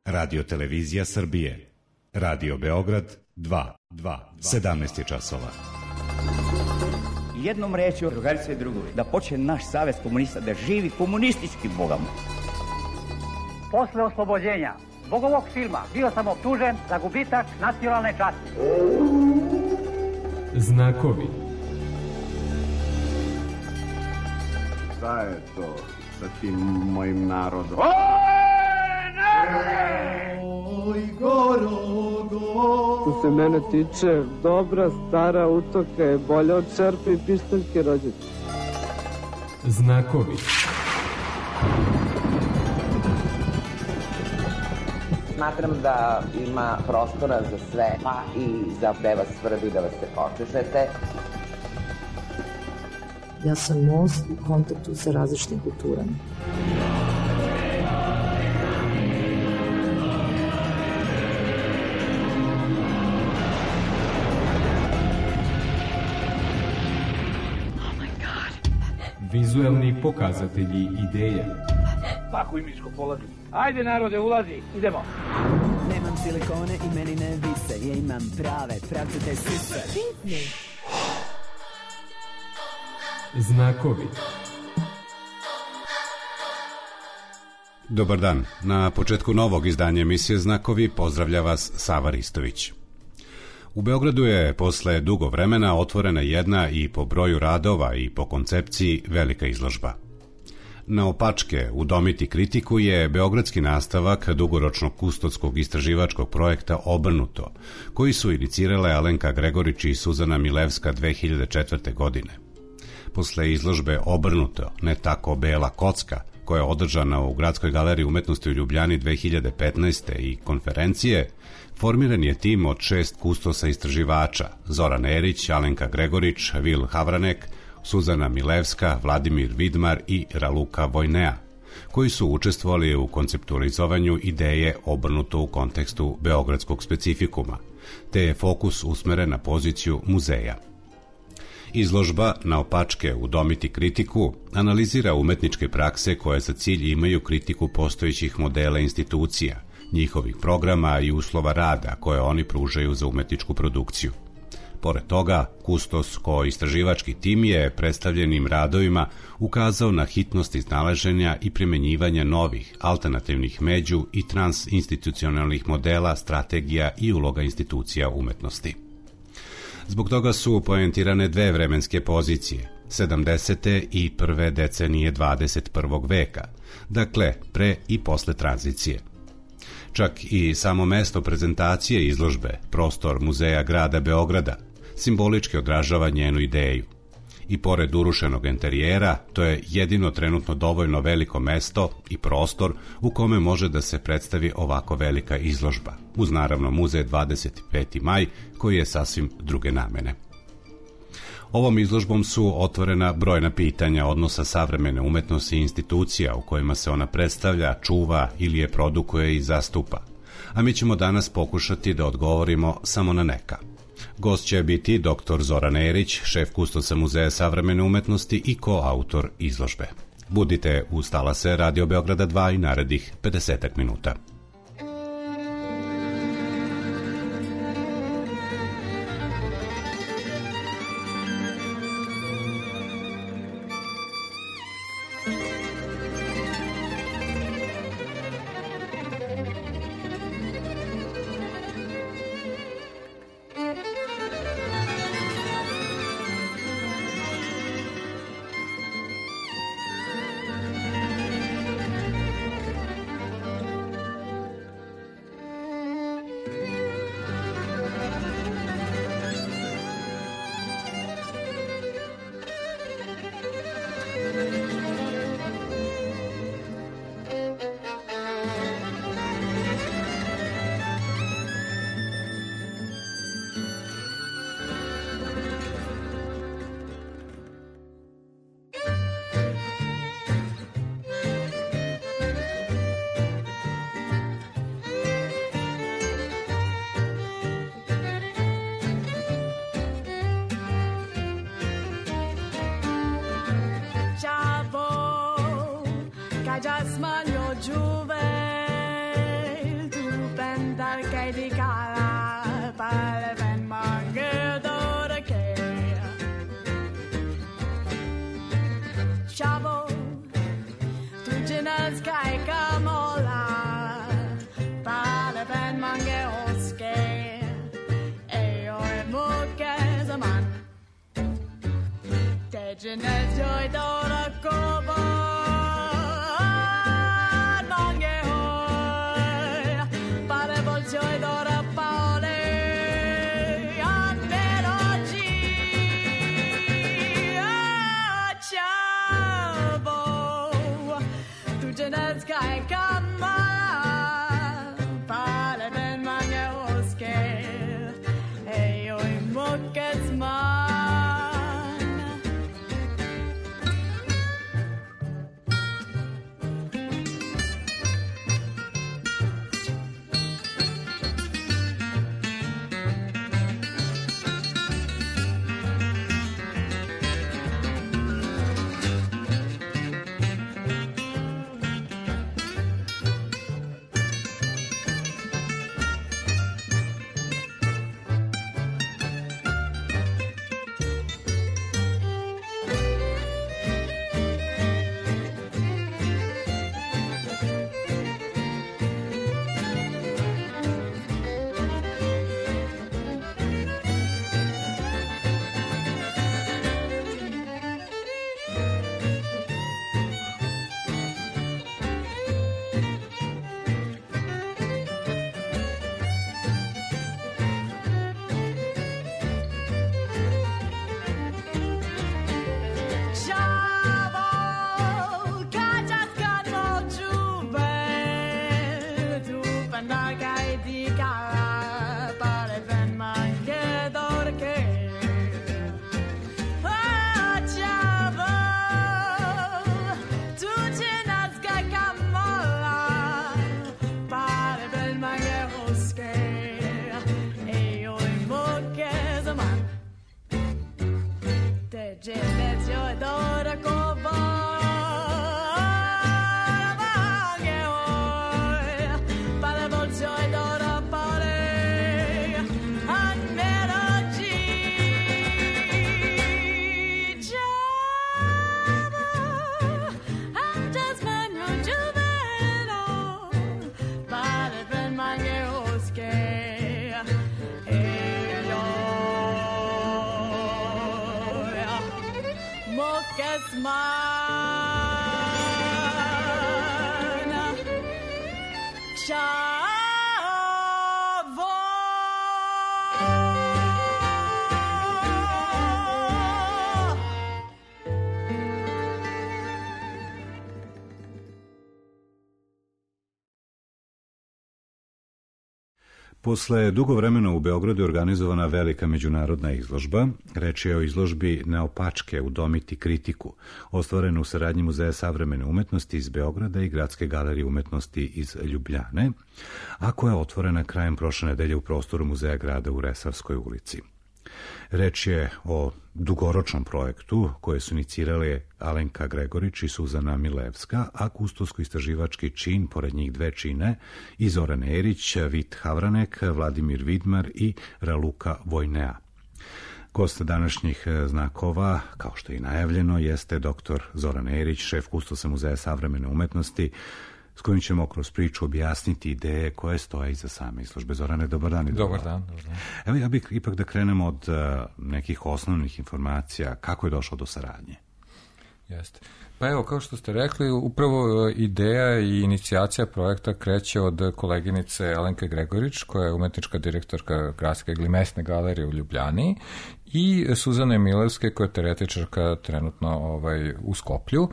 Radio Televizija Srbije. Radio Beograd 2. 17 je časova. Jednom rečju, drugarice i drugovi, da počne naš savez komunista, da živi komunistički, Boga mu. Posle oslobođenja zbog ovog filma bio sam optužen za gubitak nacionalne časti. Znakovi. Šta je to sa tim mojim narodom? Oj, Gorogo! Što se mene tiče, dobra stara utoka je bolja od čerpe i pištaljke rođete. Znakovi. Smatram da ima prostora za sve, pa i za gde vas svrbi da vas se počešete. Ja sam most u kontaktu sa različitim kulturama. Vizuelni pokazatelji ideja. Tako imičko polazi. Ajde narode, ulazi, idemo. Nemam silikone i meni ne vise, ja imam prave, pravcate sise. Znakovi. Dobar dan. Na početku novog izdanja emisije Znakovi pozdravlja vas Sava Ristović. U Beogradu je posle dugo vremena otvorena jedna i po broju radova i po koncepciji velika izložba. Naopačke, udomiti kritiku je beogradski nastavak dugoročnog kustodskog istraživačkog projekta Obrnuto, koji su inicirale Alenka Gregorić i Suzana Milevska 2004. godine. Posle izložbe Obrnuto, ne tako bela kocka, koja je održana u Gradskoj galeriji umetnosti u Ljubljani 2015. i konferencije, formiran je tim od 6 kustosa istraživača: Zoran Erić, Alenka Gregorić, Vil Havranek, Suzana Milevska, Vladimir Vidmar i Raluka Vojnea, koji su učestvovali u konceptualizovanju ideje Obrnuto u kontekstu beogradskog specifikuma, te je fokus usmeren na poziciju muzeja. Izložba Naopačke, udomiti kritiku analizira umetničke prakse koje za cilj imaju kritiku postojećih modela institucija, njihovih programa i uslova rada koje oni pružaju za umetničku produkciju. Pored toga, kustos kao istraživački tim je predstavljenim radovima ukazao na hitnost iznalaženja i primenjivanja novih, alternativnih među i transinstitucionalnih modela, strategija i uloga institucija umetnosti. Zbog toga su poentirane dve vremenske pozicije, 70. i prve decenije 21. veka, dakle pre i posle tranzicije. Čak i samo mesto prezentacije izložbe, prostor Muzeja grada Beograda, simbolički odražava njenu ideju. I pored urušenog interijera, to je jedino trenutno dovoljno veliko mesto i prostor u kome može da se predstavi ovako velika izložba, uz naravno muzej 25. maj, koji je sasvim druge namene. Ovom izložbom su otvorena brojna pitanja odnosa savremene umetnosti i institucija u kojima se ona predstavlja, čuva ili je produkuje i zastupa, a mi ćemo danas pokušati da odgovorimo samo na neka. Gost će biti dr. Zoran Erić, šef kustosa Muzeja savremene umetnosti i koautor izložbe. Budite uz talase Radio Beograda 2 i narednih 50 minuta. di cara per ben mange d'ora che Chavo tu genas kai kamola per ben mange oske e oi muke zaman te genas joy d'ora kobo Posle dugo vremena u Beogradu je organizovana velika međunarodna izložba. Reč je o izložbi Neopačke udomiti kritiku, ostvarenu u saradnji Muzeja savremene umetnosti iz Beograda i Gradske galerije umetnosti iz Ljubljane, a koja je otvorena krajem prošle nedelje u prostoru Muzeja grada u Resavskoj ulici. Reč je o dugoročnom projektu koje su inicirale Alenka Gregorić i Suzana Milevska, a kustosko-istraživački čin, pored njih dve čine, i Zoran Erić, Vit Havranek, Vladimir Vidmar i Raluka Vojnea. Gost današnjih znakova, kao što je i najavljeno, jeste dr. Zoran Erić, šef kustosa Muzeja savremene umetnosti, s kojim ćemo kroz priču objasniti ideje koje stoje iza same izložbe. Zorane, dobar dan. Dobar dan. Evo, ja bih ipak da krenemo od nekih osnovnih informacija. Kako je došlo do saradnje? Jeste. Pa evo, kao što ste rekli, upravo ideja i inicijacija projekta kreće od koleginice Alenke Gregorić, koja je umetnička direktorka Gradske ili mesne galerije u Ljubljani, i Suzane Milevske, koja je teoretičarka trenutno u Skoplju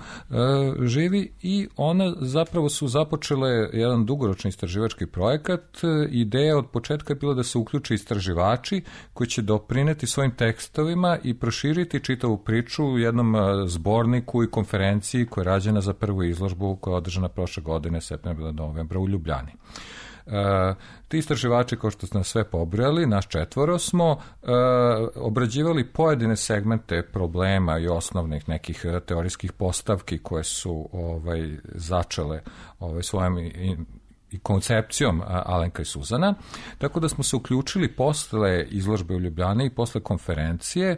živi, i ona zapravo su započele jedan dugoročni istraživački projekat. Ideja od početka je bila da se uključe istraživači koji će doprineti svojim tekstovima i proširiti čitavu priču u jednom zborniku i konferenciji koja je rađena za prvu izložbu koja je održana prošle godine, septembra do novembra u Ljubljani. Ti istraživači, kao što ste nas sve pobrojali, nas četvoro, smo obrađivali pojedine segmente problema i osnovnih nekih teorijskih postavki koje su začele svojim i koncepcijom Alenka i Suzana, tako da smo se uključili posle izložbe u Ljubljani i posle konferencije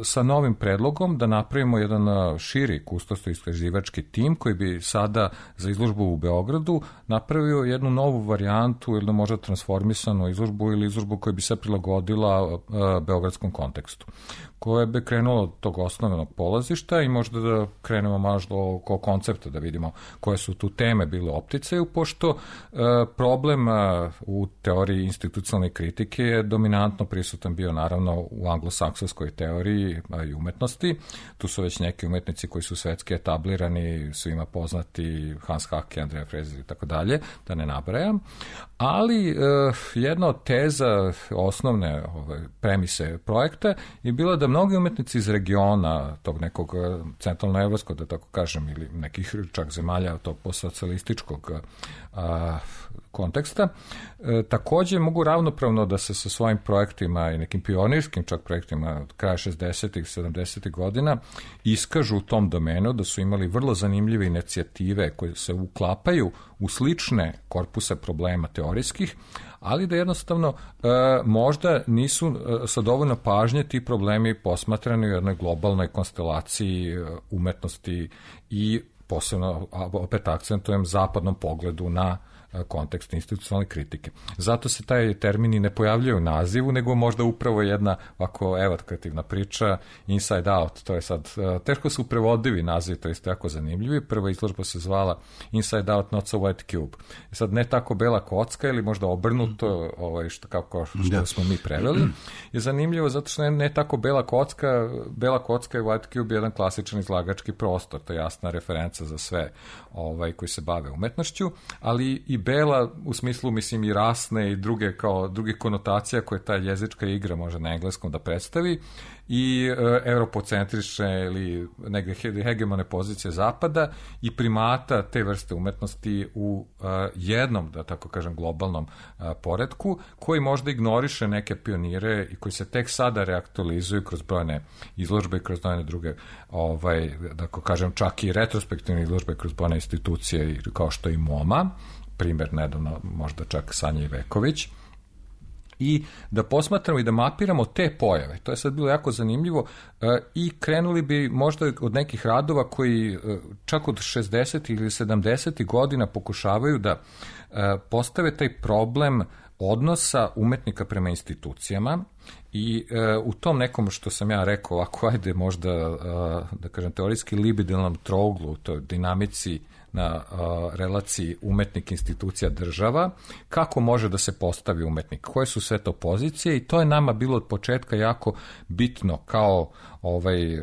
sa novim predlogom da napravimo jedan širi kustoso-istraživački tim koji bi sada za izložbu u Beogradu napravio jednu novu varijantu ili možda transformisanu izložbu ili izložbu koja bi se prilagodila beogradskom kontekstu, koje bi krenulo od tog osnovnog polazišta i možda da krenemo možda oko koncepta, da vidimo koje su tu teme bile opticaju, pošto problem u teoriji institucionalne kritike je dominantno prisutan bio naravno u anglosaksonskoj teoriji i umetnosti. Tu su već neki umetnici koji su svetski etablirani, svima poznati, Hans Hacke, Andrea Frezer i tako dalje, da ne nabrajam. Ali jedna od teza osnovne premise projekta je bila da mnogi umetnici iz regiona, tog nekog centralnoevropskog, da tako kažem, ili nekih čak zemalja tog postsocijalističkog konteksta, takođe mogu ravnopravno da se sa svojim projektima i nekim pionirskim čak projektima od kraja 60. i 70. godina iskažu u tom domenu, da su imali vrlo zanimljive inicijative koje se uklapaju u slične korpuse problema teorijskih, ali da jednostavno možda nisu sa dovoljno pažnje ti problemi posmatrani u jednoj globalnoj konstelaciji umetnosti i posebno, opet akcentujem, zapadnom pogledu na kontekst institucionalne kritike. Zato se taj termini ne pojavljaju u nazivu, nego možda upravo jedna ovako evokativna priča, Inside Out, to je sad, teško su prevodivi nazivi, to je isto jako zanimljivi. Prva izložba se zvala Inside Out, Not So White Cube. Sad, ne tako bela kocka ili možda obrnuto, kako smo mi preveli, je zanimljivo zato što ne tako bela kocka i White Cube je jedan klasičan izlagački prostor, to je jasna referenca za sve koji se bave umetnošću, ali i bela u smislu, mislim, i rasne i druge konotacija koje ta jezička igra može na engleskom da predstavi, i europocentrične ili neke hegemone pozicije zapada i primata te vrste umetnosti u jednom, da tako kažem, globalnom poretku, koji možda ignoriše neke pionire i koji se tek sada reaktualizuju kroz brojne izložbe i kroz brojne druge, da tako kažem, čak i retrospektivne izložbe kroz brojne institucije kao što je MoMA, primjer nedavno možda čak Sanja Iveković, i da posmatramo i da mapiramo te pojave. To je sad bilo jako zanimljivo i krenuli bi možda od nekih radova koji čak od 60. ili 70. godina pokušavaju da postave taj problem odnosa umetnika prema institucijama i u tom nekom, što sam ja rekao, ako ajde možda, da kažem, teorijski libidalnom trouglu, u toj dinamici na relaciji umetnik, institucija, država, kako može da se postavi umetnik, koje su sve to pozicije, i to je nama bilo od početka jako bitno, kao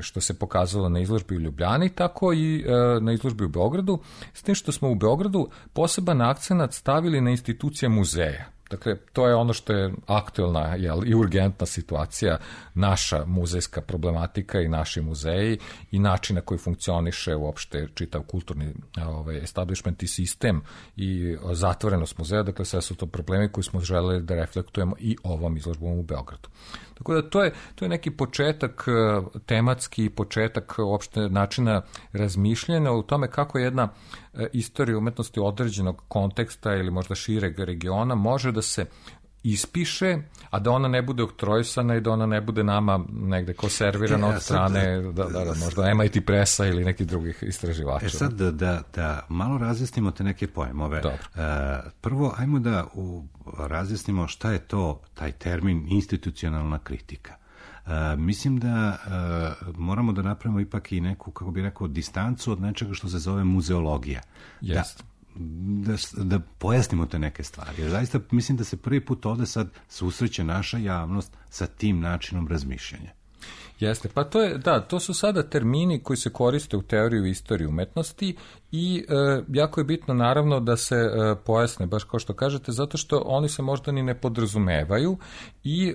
što se pokazalo na izložbi u Ljubljani, tako i na izložbi u Beogradu, s tim što smo u Beogradu poseban akcenat stavili na institucije muzeja. Dakle, to je ono što je aktuelna i urgentna situacija, naša muzejska problematika i naši muzeji i način na koji funkcioniše uopšte čitav kulturni establishment i sistem i zatvorenost muzeja. Dakle, sve su to problemi koji smo želeli da reflektujemo i ovom izložbom u Beogradu. Tako da to je neki početak tematski, početak uopšte načina razmišljanja u tome kako jedna istorija umetnosti određenog konteksta ili možda šireg regiona može da se ispiše, a da ona ne bude oktrojsana i da ona ne bude nama negde konservirana od strane možda MIT presa ili nekih drugih istraživača. Sad da malo razjasnimo te neke pojmove. Prvo, ajmo da razjasnimo šta je to taj termin institucionalna kritika. Mislim da moramo da napravimo ipak i neku, kako bih rekao, distancu od nečega što se zove muzeologija. Jeste. Da pojasnimo te neke stvari. Jer zaista mislim da se prvi put ovde sad susreće naša javnost sa tim načinom razmišljanja. Jeste, pa to su sada termini koji se koriste u teoriji i istoriji umetnosti i jako je bitno naravno da se pojasne, baš kao što kažete, zato što oni se možda ni ne podrazumevaju i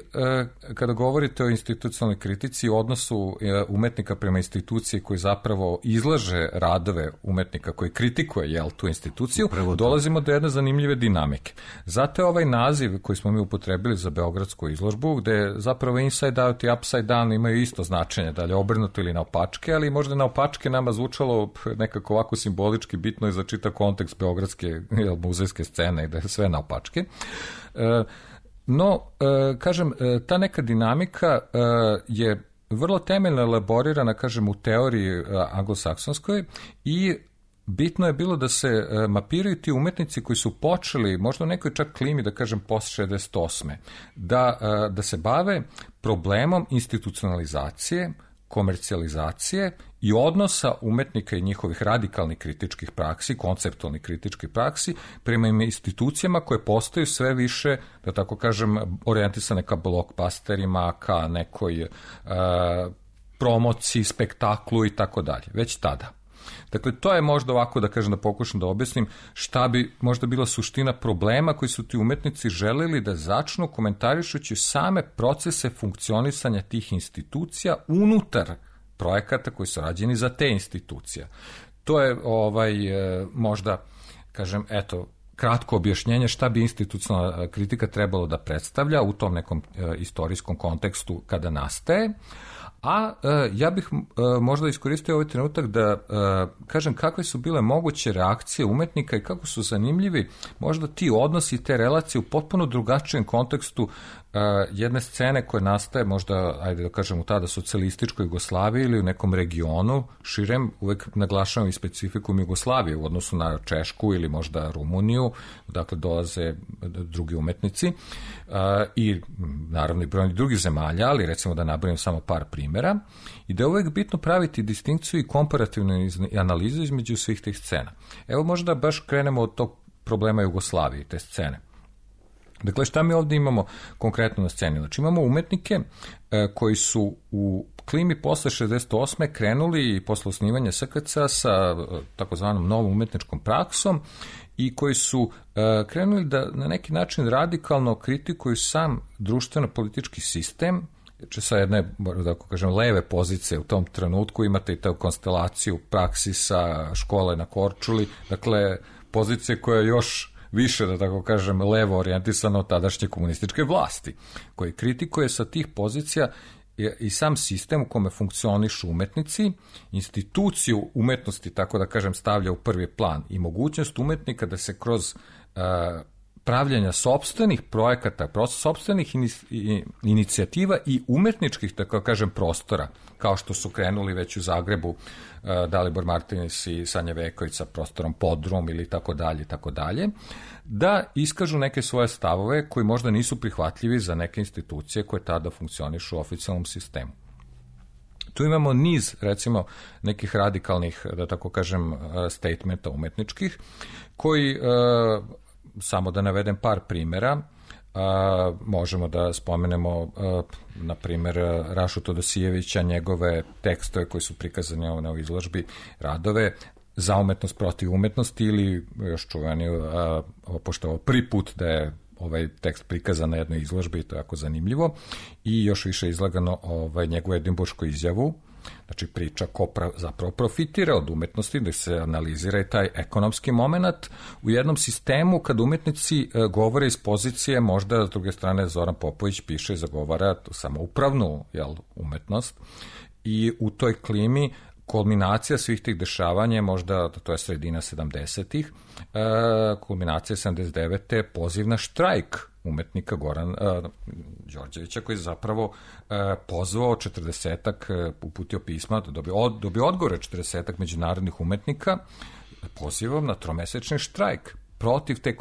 kada govorite o institucionalnoj kritici, u odnosu umetnika prema instituciji koji zapravo izlaže radove umetnika koji kritikuje tu instituciju, dolazimo do jedne zanimljive dinamike. Zato je ovaj naziv koji smo mi upotrebili za beogradsku izložbu, gde zapravo Inside Out i Upside Down imaju isto značenje, da li obrnuto ili naopačke, ali možda naopačke nama zvučalo nekako ovako simbolički, bitno je za čitav kontekst beogradske muzejske scene i da je sve naopačke. No, kažem, ta neka dinamika je vrlo temeljno elaborirana, kažem, u teoriji anglosaksonskoj i bitno je bilo da se mapiraju ti umetnici koji su počeli, možda u nekoj čak klimi, da kažem, post 68. Da se bave problemom institucionalizacije, komercijalizacije i odnosa umetnika i njihovih radikalnih kritičkih praksi, konceptualnih kritičkih praksi, prema institucijama koje postaju sve više, da tako kažem, orijentisane ka blockbusterima, ka nekoj promociji, spektaklu i tako dalje, već tada. Dakle, to je možda ovako, da kažem, da pokušam da objasnim šta bi možda bila suština problema koji su ti umetnici želeli da začnu komentarišući same procese funkcionisanja tih institucija unutar projekata koji su rađeni za te institucija. To je možda, kažem, eto, kratko objašnjenje šta bi institucionalna kritika trebalo da predstavlja u tom nekom istorijskom kontekstu kada nastaje. A ja bih možda iskoristio ovaj trenutak da kažem kakve su bile moguće reakcije umetnika i kako su zanimljivi možda ti odnosi i te relacije u potpuno drugačijem kontekstu jedne scene koje nastaje možda, ajde da kažem, u tada socijalističkoj Jugoslaviji ili u nekom regionu širem, uvek naglašavam i specifikum Jugoslavije u odnosu na Češku ili možda Rumuniju, dakle dolaze drugi umetnici i naravno i brojni drugih zemalja, ali recimo da nabrojim samo par primjera, i da je uvek bitno praviti distinkciju i komparativnu analizu između svih tih scena. Evo možda baš krenemo od tog problema Jugoslavije, te scene. Dakle, šta mi ovdje imamo konkretno na sceni? Znači, imamo umetnike koji su u klimi posle 68. krenuli i posle osnivanja SKC sa takozvanom novom umetničkom praksom i koji su krenuli da na neki način radikalno kritikuju sam društveno-politički sistem, sa jedne, da kažem, leve pozicije u tom trenutku. Imate i tu konstelaciju praksi sa škole na Korčuli, dakle, pozicije koja je još više, da tako kažem, levo orijentisano od tadašnje komunističke vlasti, koji kritikuje sa tih pozicija i sam sistem u kome funkcionišu umetnici, instituciju umetnosti, tako da kažem, stavlja u prvi plan i mogućnost umetnika da se kroz pravljanja sopstvenih projekata, sopstvenih inicijativa i umetničkih, tako kažem, prostora, kao što su krenuli već u Zagrebu Dalibor Martinis i Sanja Veković sa prostorom Podrum ili tako dalje, da iskažu neke svoje stavove koji možda nisu prihvatljivi za neke institucije koje tada funkcionišu u oficijalnom sistemu. Tu imamo niz, recimo, nekih radikalnih, da tako kažem, statementa umetničkih, koji, samo da navedem par primjera, možemo da spomenemo, na primjer, Rašu Todosijevića, njegove tekstove koji su prikazani na izložbi, radove Za umetnost protiv umetnosti, ili još čuveni, pošto ovo prvi put da je ovaj tekst prikazan na jednoj izložbi, to je jako zanimljivo, i još više izlagano njegovu edinburšku izjavu, znači priča ko zapravo profitira od umetnosti, da se analizira i taj ekonomski moment u jednom sistemu kad umetnici govore iz pozicije, možda s druge strane Zoran Popović piše i zagovara samoupravnu umetnost, i u toj klimi kulminacija svih tih dešavanja, možda to je sredina 70-ih, kulminacija 79. poziv na štrajk umetnika Goran Đorđevića, koji je zapravo pozvao 40-ak, uputio pisma, dobio odgovore 40-ak međunarodnih umetnika pozivom na tromesečni štrajk protiv te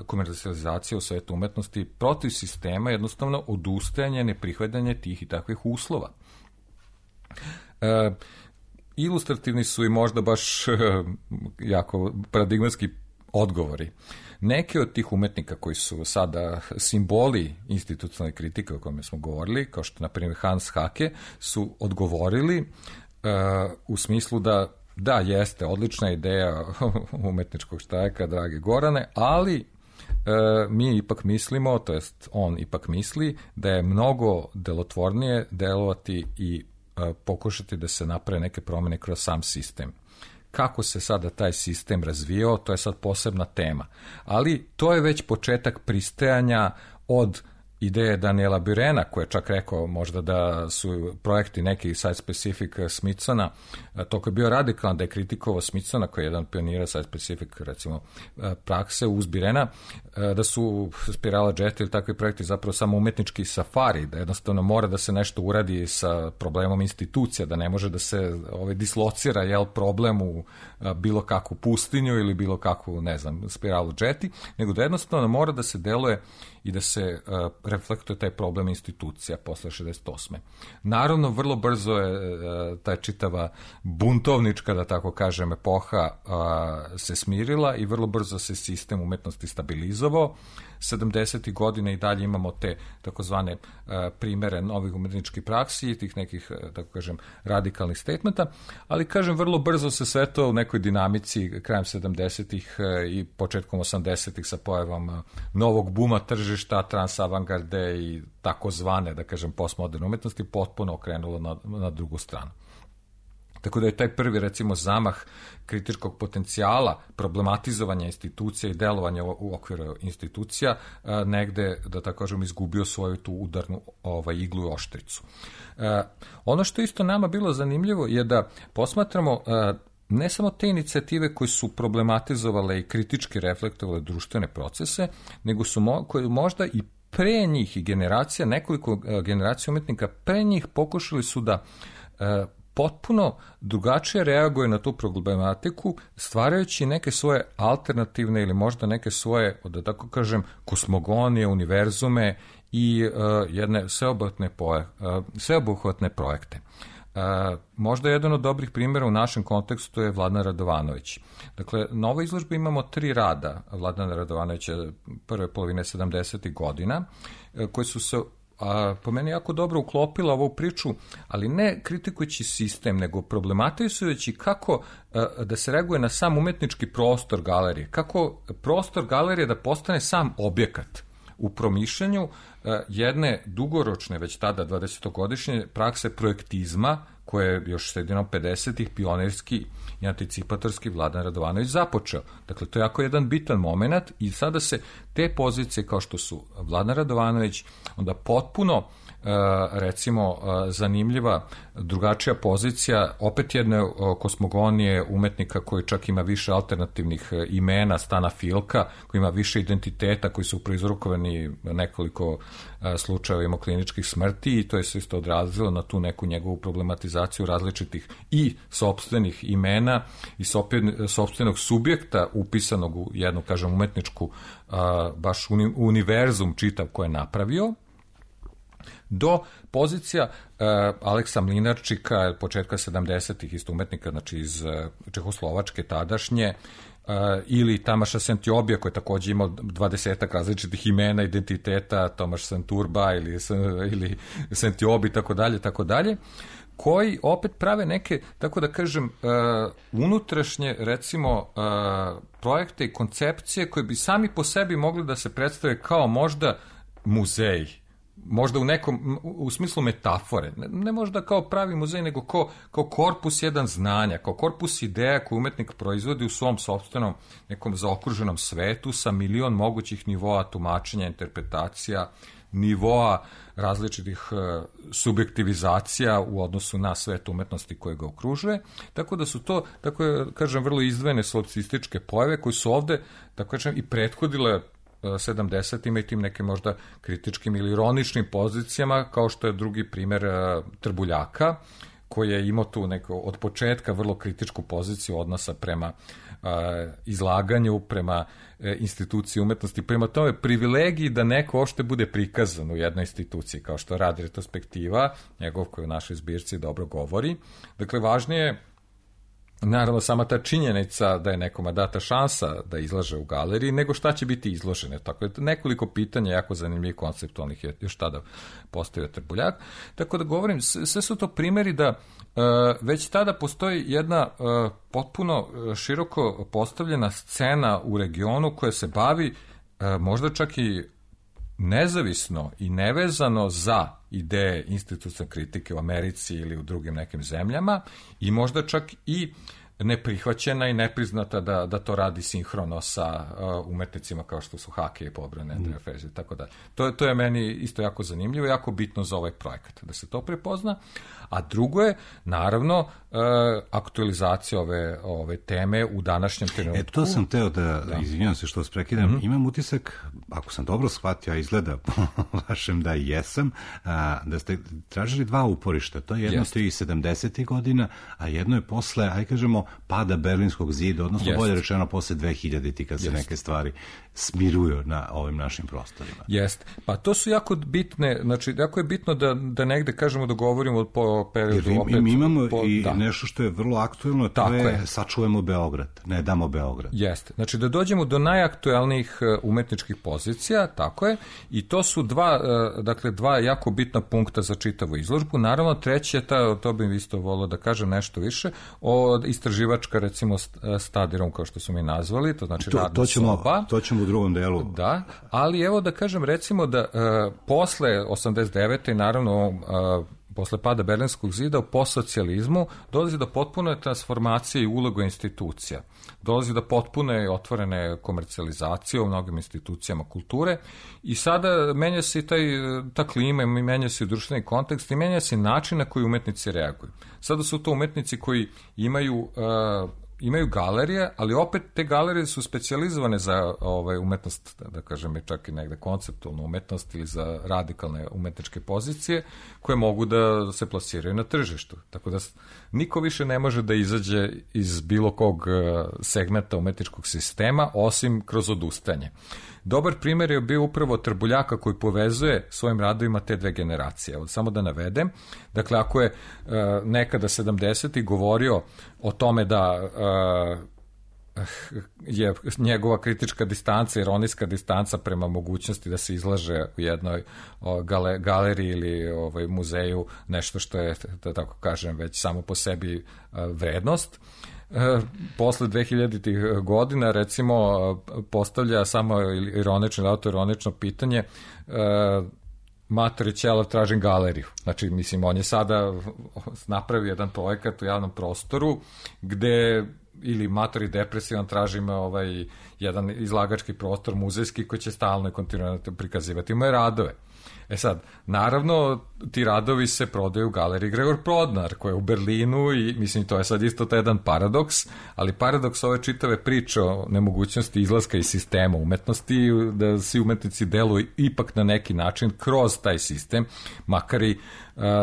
komercijalizacije u svetu umetnosti, protiv sistema, jednostavno odustajanje, neprihvatanje tih i takvih uslova. Ilustrativni su i možda baš jako paradigmatski odgovori. Neke od tih umetnika koji su sada simboli institucionalne kritike o kojima smo govorili, kao što na primjer Hans Hake, su odgovorili u smislu da jeste odlična ideja umetničkog štrajka, dragi Gorane, ali mi ipak mislimo, to jest on ipak misli, da je mnogo delotvornije delovati i pokušati da se naprave neke promjene kroz sam sistem. Kako se sada taj sistem razvijao, to je sad posebna tema. Ali to je već početak pristajanja od ideje Daniela Burena, koji je čak rekao možda da su projekti neki site-specific Smithsona, to koji je bio radikalan, da je kritikovao Smithsona, koji je jedan pionira site-specific, recimo, prakse uz Burena, da su Spirala Jet ili takvi projekti zapravo samo umetnički safari, da jednostavno mora da se nešto uradi sa problemom institucija, da ne može da se dislocira problem u bilo kakvu pustinju ili bilo kakvu, ne znam, Spiralu Jeti, nego da jednostavno mora da se deluje i da se reflektuje taj problem institucija posle 68. Naravno, vrlo brzo je ta čitava buntovnička, da tako kažem, epoha se smirila i vrlo brzo se sistem umetnosti stabilizovao. 70. godine i dalje imamo te takozvane primere novih umetničkih praksi i tih nekih, tako kažem, radikalnih statementa, ali kažem, vrlo brzo se sve to u nekoj dinamici krajem 70-ih i početkom 80-ih sa pojavom novog buma tržišta, transavangarde i takozvane, da kažem, postmoderne umetnosti potpuno okrenulo na drugu stranu. Tako da je taj prvi, recimo, zamah kritičkog potencijala, problematizovanja institucija i delovanja u okviru institucija negde, da tako kažem, izgubio svoju tu udarnu iglu i oštricu. Ono što isto nama bilo zanimljivo je da posmatramo ne samo te inicijative koje su problematizovale i kritički reflektovale društvene procese, nego su koje možda i pre njih i generacija, nekoliko generacija umetnika pre njih pokušali su da potpuno drugačije reaguje na tu problematiku, stvarajući neke svoje alternativne ili možda neke svoje, da tako kažem, kosmogonije, univerzume i jedne sveobuhvatne projekte. Možda jedan od dobrih primjera u našem kontekstu je Vladan Radovanović. Dakle, na ovoj izložbi imamo 3 rada Vladana Radovanovića prve polovine 70. godina, koji su se po meni jako dobro uklopila ovu priču, ali ne kritikujući sistem, nego problematizujući kako da se reaguje na sam umetnički prostor galerije, kako prostor galerije da postane sam objekat u promišljanju jedne dugoročne, već tada 20-godišnje prakse projektizma, koje je još sredinom 50-ih pionirski i anticipatorski Vladan Radovanović započeo. Dakle, to je jako jedan bitan moment i sada se te pozicije kao što su Vladan Radovanović, onda potpuno recimo zanimljiva drugačija pozicija, opet jedne kosmogonije umetnika koji čak ima više alternativnih imena, Stana Filka, koji ima više identiteta, koji su proizrukovani nekoliko slučajevima kliničkih smrti i to je se isto odrazilo na tu neku njegovu problematizaciju različitih i sopstvenih imena i sopstvenog subjekta upisanog u jednu, kažem, umetničku baš univerzum čitav koje je napravio, do pozicija Aleksa Mlinarčika početka 70-ih isto umetnika, znači iz Čehoslovačke tadašnje, ili Tamaša Sentiobija koji takođe imao 20 različitih imena, identiteta, Tomaš Santurba ili Sentiobi, tako dalje, koji opet prave neke, tako da kažem, unutrašnje, recimo, projekte i koncepcije koje bi sami po sebi mogli da se predstave kao možda muzeji, možda u smislu metafore, ne možda kao pravi muzej, nego kao korpus jedan znanja, kao korpus ideja koju umetnik proizvodi u svom sopstvenom nekom zaokruženom svetu sa milion mogućih nivoa tumačenja, interpretacija, nivoa različitih subjektivizacija u odnosu na svet umetnosti koje ga okružuje, tako da su to, tako kažem, vrlo izdvojene solipsističke pojave koje su ovde, tako kažem, i prethodile 70-ima i tim nekim možda kritičkim ili ironičnim pozicijama, kao što je drugi primer Trbuljaka, koji je imao tu neko od početka vrlo kritičku poziciju odnosa prema izlaganju, prema instituciji umetnosti, prema tome privilegiji da neko ošte bude prikazan u jednoj instituciji, kao što radi retrospektiva, njegov koji u našoj zbirci dobro govori. Dakle, važnije je naravno sama ta činjenica da je nekoma data šansa da izlaže u galeriji, nego šta će biti izložene. Tako da nekoliko pitanja jako zanimljivih konceptualnih je još tada postavio Trbuljak. Tako da govorim, sve su to primjeri da već tada postoji jedna potpuno široko postavljena scena u regionu koja se bavi možda čak i nezavisno i nevezano za ideje institucionalne kritike u Americi ili u drugim nekim zemljama i možda čak i neprihvaćena i nepriznata da to radi sinhrono sa umetnicima kao što su Hake i Pobrane, Andreja Feža i tako dalje. To je meni isto jako zanimljivo, jako bitno za ovaj projekat, da se to prepozna. A drugo je, naravno, aktualizacija ove teme u današnjem trenutku. To sam teo da izvinjam se što vas prekidam, imam utisak, ako sam dobro shvatio, a izgleda po vašem da jesam, da ste tražili dva uporišta. To je jedno to i 70. godina, a jedno je posle, aj kažemo, pada Berlinskog zida, odnosno bolje rečeno posle 2000. kad se neke stvari smiruju na ovim našim prostorima. Jeste. Pa to su jako bitne, znači jako je bitno da negde, kažemo, dogovorimo po periodu jer opet. Mi imamo nešto što je vrlo aktuelno, to je sačuvajmo Beograd, ne damo Beograd. Jeste. Znači da dođemo do najaktuelnijih umetničkih pozicija, tako je, i to su dva jako bitna punkta za čitavu izložbu. Naravno, treći je to bih isto volio da kažem nešto više, istraživačka, recimo, study room, kao što su mi nazvali, to znači radna soba. To ćemo u drugom delu. Da, ali evo da kažem, recimo da posle 89. i naravno posle pada Berlinskog zida, po socijalizmu dolazi do potpune transformacije i uloga institucija. Dolazi do potpune otvorene komercijalizacije u mnogim institucijama kulture i sada menja se i ta klima, menja se i društveni kontekst i menja se način na koji umetnici reaguju. Sada su to umetnici koji imaju galerije, ali opet te galerije su specijalizovane za umetnost, da kažem, čak i negde konceptualnu umetnost ili za radikalne umetničke pozicije koje mogu da se plasiraju na tržištu. Tako da niko više ne može da izađe iz bilo kog segmenta umetničkog sistema osim kroz odustanje. Dobar primjer je bio upravo Trbuljaka koji povezuje svojim radovima te dve generacije. Evo, samo da navedem. Dakle, ako je nekada 70. govorio o tome da je njegova kritička distanca, ironijska distanca prema mogućnosti da se izlaže u jednoj galeriji ili muzeju nešto što je, da tako kažem, već samo po sebi vrednost. Posle 2000. godina, recimo, postavlja samo ironično ili autoironično pitanje Matori Ćelav, tražim galeriju. Znači, mislim, on je sada napravio jedan projekat u javnom prostoru gde ili Matori depresivan, tražim jedan izlagački prostor muzejski koji će stalno i kontinuirano prikazivati moje radove. Sad, naravno, ti radovi se prodaju u galeriji Gregor Prodnar, koja je u Berlinu i, mislim, to je sad isto taj jedan paradoks, ali paradoks ove čitave priče o nemogućnosti izlaska iz sistema umetnosti, da svi umetnici deluju ipak na neki način kroz taj sistem, makar i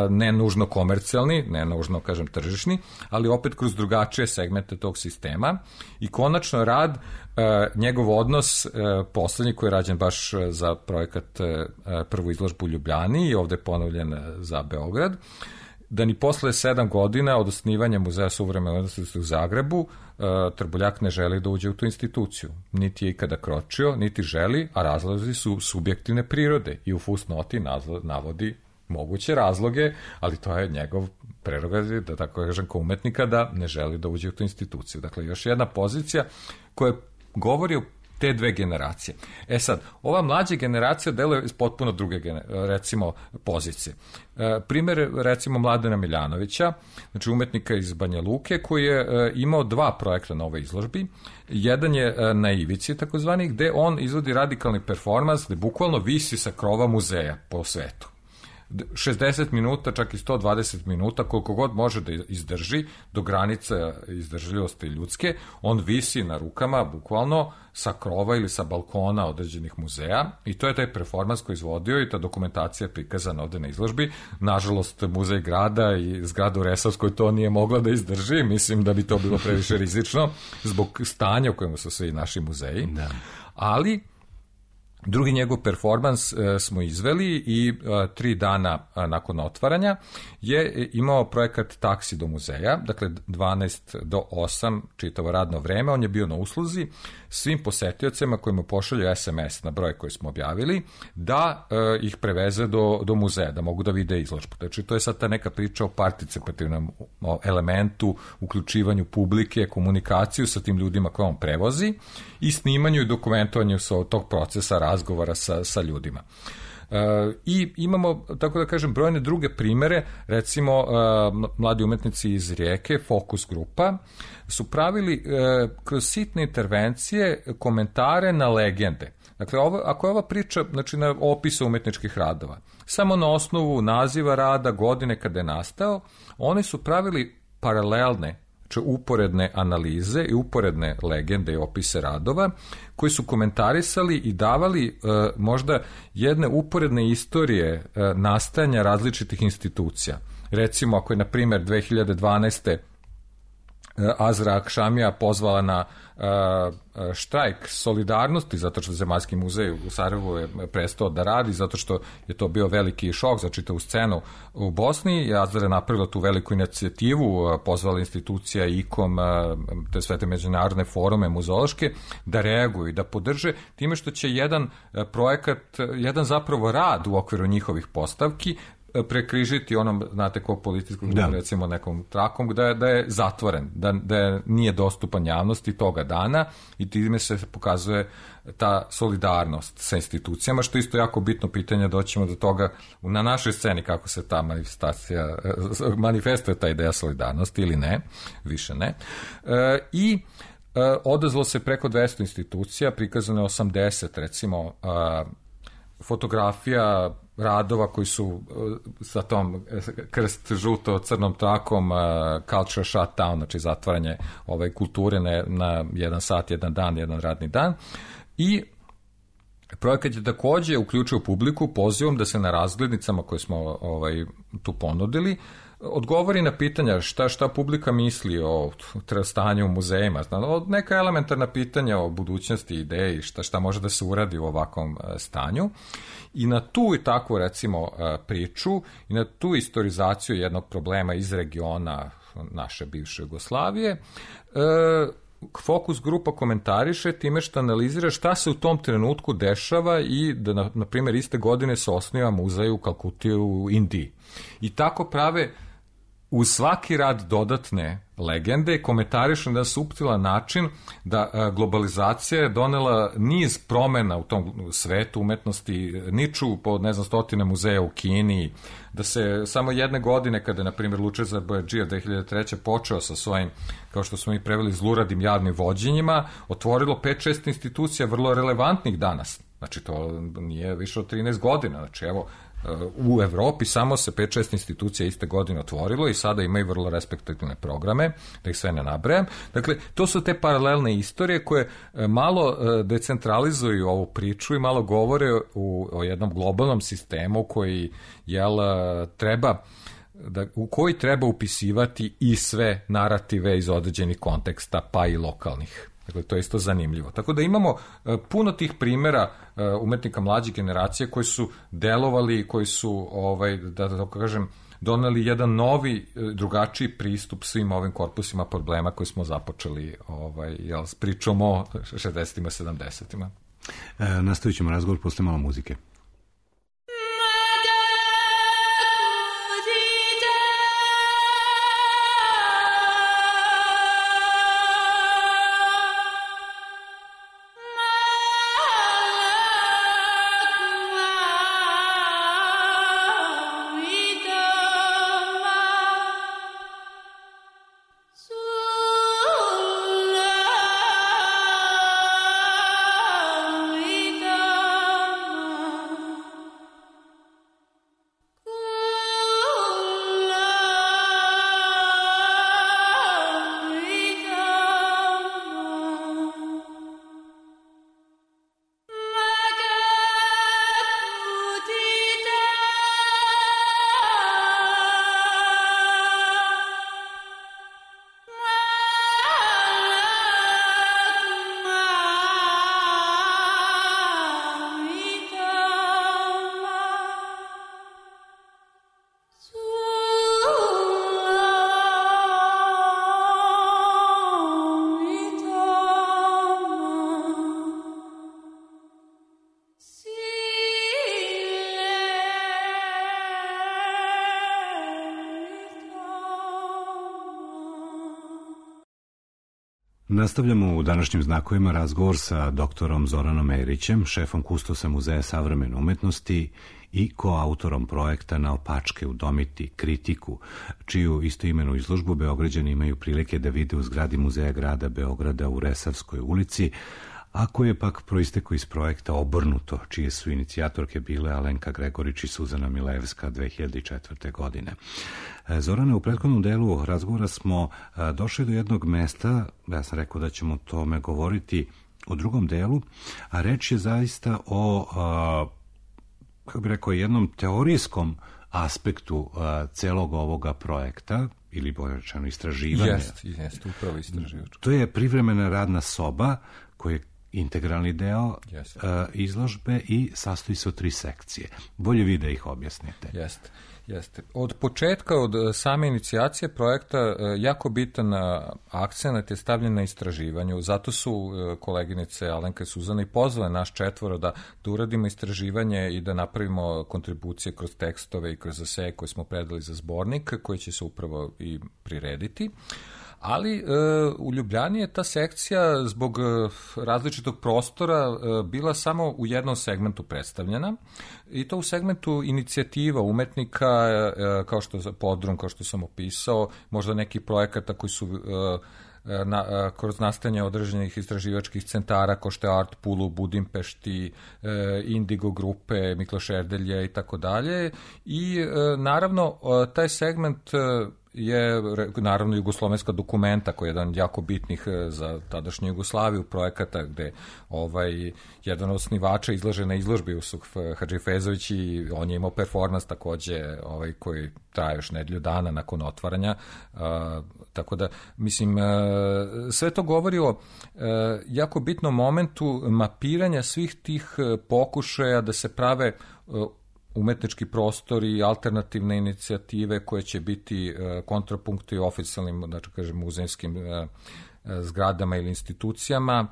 ne nužno komercijalni, ne nužno, kažem, tržišni, ali opet kroz drugačije segmente tog sistema. I konačno rad, njegov odnos, poslednji koji je rađen baš za projekat prvu izložbu u Ljubljani i ovde je ponovljen za Beograd, da ni posle 7 godina od osnivanja Muzeja suvremene umetnosti u Zagrebu Trbuljak ne želi da uđe u tu instituciju. Niti je ikada kročio, niti želi, a razlozi su subjektivne prirode i u fusnoti navodi moguće razloge, ali to je njegov prerogativ, da tako kažem, kao umetnika, da ne želi da uđe u tu instituciju. Dakle, još jedna pozicija koja govori o te dve generacije. Sad, ova mlađa generacija deluje iz potpuno druge, recimo, pozicije. Primer, recimo, Mladena Miljanovića, znači umetnika iz Banja Luke, koji je imao 2 projekta na ovoj izložbi. Jedan je na Ivici, takozvani, gde on izvodi radikalni performans, gde bukvalno visi sa krova muzeja po svetu. 60 minuta, čak i 120 minuta, koliko god može da izdrži, do granica izdržljivosti ljudske, on visi na rukama, bukvalno, sa krova ili sa balkona određenih muzeja i to je taj performans koji izvodio i ta dokumentacija je prikazana ovde na izložbi. Nažalost, muzej grada i zgrada u Resavskoj to nije mogla da izdrži, mislim da bi to bilo previše rizično zbog stanja u kojemu su svi naši muzeji, ali drugi njegov performans smo izveli i 3 dana nakon otvaranja je imao projekat Taksi do muzeja, dakle 12 do 8 čitavo radno vreme, on je bio na usluzi svim posetiocima kojima pošalju SMS na broj koji smo objavili, da ih preveze do muzeja, da mogu da vide izložbu. Znači, to je sad ta neka priča o participativnom elementu, uključivanju publike, komunikaciju sa tim ljudima koje on prevozi i snimanju i dokumentovanju tog procesa razgovora sa ljudima. I imamo, tako da kažem, brojne druge primere, recimo mladi umetnici iz Rijeke, Fokus grupa, su pravili kroz sitne intervencije komentare na legende. Dakle, ako je ova priča, znači na opisa umetničkih radova, samo na osnovu naziva rada, godine kada je nastao, oni su pravili paralelne, znači uporedne analize i uporedne legende i opise radova, koji su komentarisali i davali možda jedne uporedne istorije nastajanja različitih institucija. Recimo, ako je, na primjer, 2012. Azra Akšamija pozvala na štrajk solidarnosti zato što Zemaljski muzej u Sarajevu je prestao da radi, zato što je to bio veliki šok za čitavu scenu u Bosni i Azra je napravila tu veliku inicijativu, pozvala institucija ICOM, te sve te međunarodne forume muzeološke da reaguju i da podrže time što će jedan projekat, jedan zapravo rad u okviru njihovih postavki prekrižiti onom, znate, kog političkog, recimo nekom trakom, da je zatvoren, da nije dostupan javnosti toga dana i time se pokazuje ta solidarnost sa institucijama, što je isto jako bitno pitanje, doćemo do toga na našoj sceni kako se ta manifestuje ta ideja solidarnosti ili ne, više ne. I odazvalo se preko 200 institucija, prikazano je 80, recimo, fotografija radova koji su sa tom krst žuto crnom trakom culture shutdown, znači zatvaranje kulture na jedan sat, jedan dan, jedan radni dan. I projekat je takođe uključio publiku pozivom da se na razglednicama koje smo tu ponudili odgovori na pitanja šta publika misli o stanju u muzejima, neka elementarna pitanja o budućnosti, ideji, šta može da se uradi u ovakvom stanju. I na tu i takvu, recimo, priču i na tu istorizaciju jednog problema iz regiona naše bivše Jugoslavije, Fokus grupa komentariše time što analizira šta se u tom trenutku dešava i da, na primjer, iste godine se osniva muzej u Kalkuti u Indiji. I tako prave uz svaki rad dodatne legende, komentarišu na suptilan način da globalizacija je donela niz promena u tom svetu umetnosti, niču po, stotine muzeja u Kini, da se samo jedne godine, kada je, na primjer, Lučezar Bojađija 2003. počeo sa svojim, kao što smo mi preveli, zluradim javnim vođenjima, otvorilo 5-6 institucija vrlo relevantnih danas. Znači, to nije više od 13 godina. Znači, evo, u Evropi samo se 5-6 institucija iste godine otvorilo i sada imaju vrlo respektabilne programe, da ih sve ne nabrajam. Dakle, to su te paralelne istorije koje malo decentralizuju ovu priču i malo govore o jednom globalnom sistemu koji u koji treba upisivati i sve narative iz određenih konteksta, pa i lokalnih. Dakle, to je isto zanimljivo. Tako da imamo puno tih primjera umetnika mlađe generacije koji su delovali, koji su, da tako kažem, doneli jedan novi, drugačiji pristup svim ovim korpusima problema koji smo započeli s pričom o 60-ima, 70-ima. Nastavit ćemo razgovor posle malo muzike. Thank you. Nastavljamo u današnjim znakovima razgovor sa doktorom Zoranom Erićem, šefom kustosa Muzeja savremene umetnosti i koautorom projekta Naopačke udomiti kritiku, čiju istoimenu izložbu Beograđani imaju prilike da vide u zgradi Muzeja grada Beograda u Resavskoj ulici, a koje je pak proistekao iz projekta Obrnuto, čije su inicijatorke bile Alenka Gregorić i Suzana Milevska 2004. godine. Zorane, u prethodnom delu razgovora smo došli do jednog mesta, ja sam rekao da ćemo o tome govoriti u drugom delu, a reč je zaista o, kako bih rekao, jednom teorijskom aspektu celog ovoga projekta, ili bolje rečeno istraživanja. Jeste, upravo istraživač. To je privremena radna soba koja je integralni deo izložbe i sastoji se od 3 sekcije. Bolje vi da ih objasnite. Jeste. Od početka, od same inicijacije projekta, jako bitan akcent je stavljen na istraživanju. Zato su koleginice Alenka i Suzana i pozvale naš 4 da uradimo istraživanje i da napravimo kontribucije kroz tekstove i kroz eseje koje smo predali za zbornik, koji će se upravo i prirediti. Ali u Ljubljani je ta sekcija zbog različitog prostora bila samo u jednom segmentu predstavljena, i to u segmentu inicijativa umetnika, kao što je Podrum, kao što sam opisao, možda neki projekata koji su kroz nastajanje određenih istraživačkih centara kao što je Art Pool u Budimpešti, Indigo grupe, Mikloš Erdelje i tako dalje. I naravno taj segment je naravno jugoslovenska dokumenta, koja je jedan jako bitnih za tadašnju Jugoslaviju projekata, gde jedan od osnivača izlaže na izložbi Jusuf Hadžifezović, i on je imao performans takođe koji traje još nedelju dana nakon otvaranja, tako da mislim sve to govori o jako bitnom momentu mapiranja svih tih pokušaja da se prave umetnički prostori i alternativne inicijative koje će biti kontrapunkti oficijalnim, znači kažem, muzejskim zgradama ili institucijama,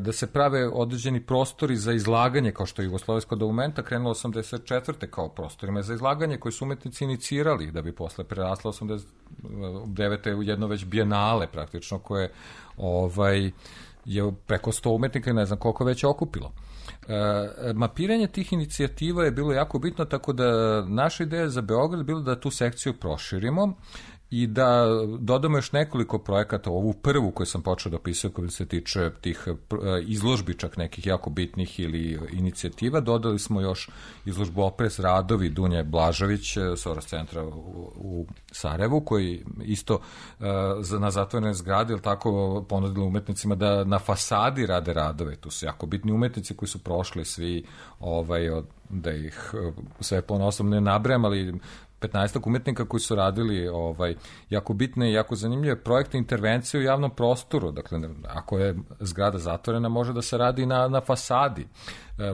da se prave određeni prostori za izlaganje, kao što je Jugoslovenska dokumenta krenula 84. kao prostorima za izlaganje koji su umetnici inicirali, da bi posle prerasla 89. u jedno već bijenale praktično, koje je preko 100 umetnika i ne znam koliko već je okupilo. Mapiranje tih inicijativa je bilo jako bitno, tako da naša ideja za Beograd je bilo da tu sekciju proširimo i da dodamo još nekoliko projekata, ovu prvu koju sam počeo da opisujem koja se tiče tih izložbi, čak nekih jako bitnih ili inicijativa. Dodali smo još izložbu Opres radovi Dunje Blažević, Soros centra u Sarajevu, koji isto na zatvorene zgrade, ili tako, ponudili umetnicima da na fasadi rade radove. Tu su jako bitni umetnici koji su prošli svi, da ih sve ponosom ne nabrajam, ali 15 umetnika koji su radili jako bitne i jako zanimljive projekte intervencije u javnom prostoru. Dakle, ako je zgrada zatvorena, može da se radi na fasadi.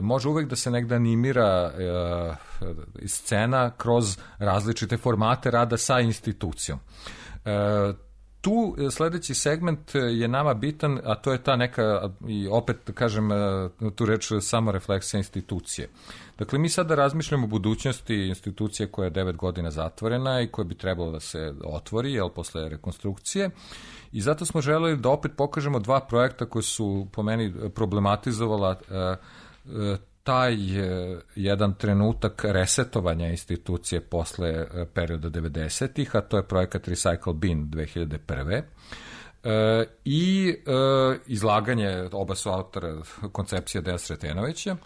Može uvek da se negde animira scena kroz različite formate rada sa institucijom. Tu sledeći segment je nama bitan, a to je ta neka, i opet kažem tu reč, samorefleksija institucije. Dakle, mi sada razmišljamo o budućnosti institucije koja je 9 godina zatvorena i koja bi trebalo da se otvori, posle rekonstrukcije, i zato smo želeli da opet pokažemo 2 projekta koji su po meni problematizovala taj jedan trenutak resetovanja institucije posle perioda 90-ih, a to je projekat Recycle Bin 2001. I izlaganje, oba su autora koncepcije Deja Sretenovića.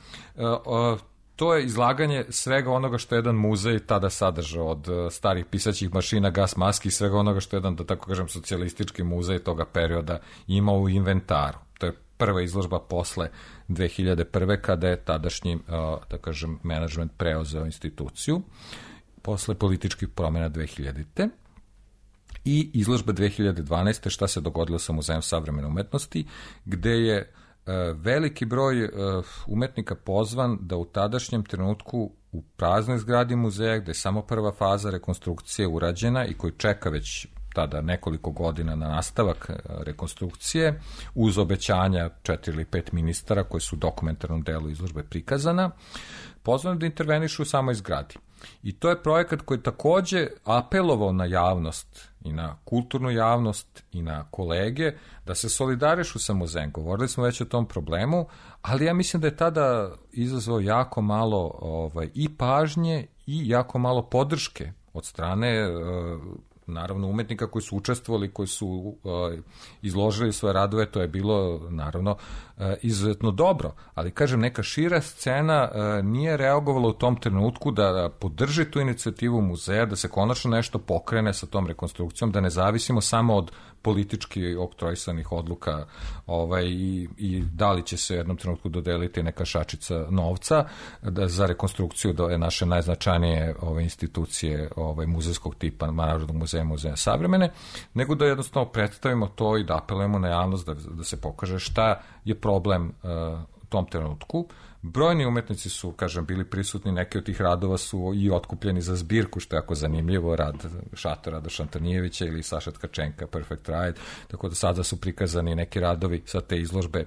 To je izlaganje svega onoga što je jedan muzej tada sadržao, od starih pisaćih mašina, gas maski i svega onoga što je jedan, da tako kažem, socijalistički muzej toga perioda imao u inventaru. To je prva izložba posle 2001. kada je tadašnji, da kažem, menadžment preuzeo instituciju, posle političkih promjena 2000. I izložba 2012. šta se dogodilo sa Muzejom savremene umetnosti, gde je veliki broj umetnika pozvan da u tadašnjem trenutku u praznoj zgradi muzeja, gde je samo prva faza rekonstrukcije urađena i koji čeka već tada nekoliko godina na nastavak rekonstrukcije, uz obećanja 4 ili 5 ministara koji su u dokumentarnom delu izložbe prikazana, pozvani da intervenišu u samoj zgradi. I to je projekat koji je takođe apelovao na javnost i na kulturnu javnost i na kolege da se solidarišu sa muzejem. Govorili smo već o tom problemu, ali ja mislim da je tada izazvao jako malo i pažnje i jako malo podrške od strane naravno umetnika koji su učestvovali, koji su izložili svoje radove. To je bilo naravno izuzetno dobro, ali kažem, neka šira scena nije reagovala u tom trenutku da podrži tu inicijativu muzeja, da se konačno nešto pokrene sa tom rekonstrukcijom, da ne zavisimo samo od politički oktroisanih odluka i da li će se u jednom trenutku dodeliti neka šačica novca za rekonstrukciju da je naše najznačajnije institucije muzejskog tipa, Narodnog muzeja, Muzeja savremene, nego da jednostavno predstavimo to i da apelujemo na javnost da se pokaže šta je problem u tom trenutku. Brojni umetnici su, kažem, bili prisutni, neki od tih radova su i otkupljeni za zbirku, što je jako zanimljivo, rad Šatora do Šantanijevića ili Saša Tkačenka, Perfect Ride, tako da sada su prikazani neki radovi sa te izložbe,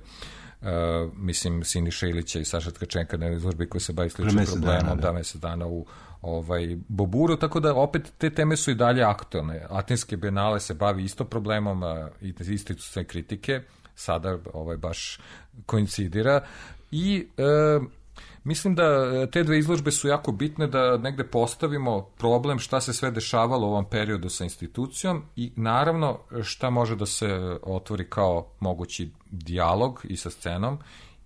mislim, Siniša Ilića i Saša Tkačenka na izložbi koji se bavi sličnim problemom, mesec dana u Boburu, tako da opet te teme su i dalje aktualne. Atinske bijenale se bavi isto problemom i institucionalne kritike, sada baš koincidira i mislim da te dve izložbe su jako bitne da negde postavimo problem šta se sve dešavalo u ovom periodu sa institucijom i naravno šta može da se otvori kao mogući dijalog i sa scenom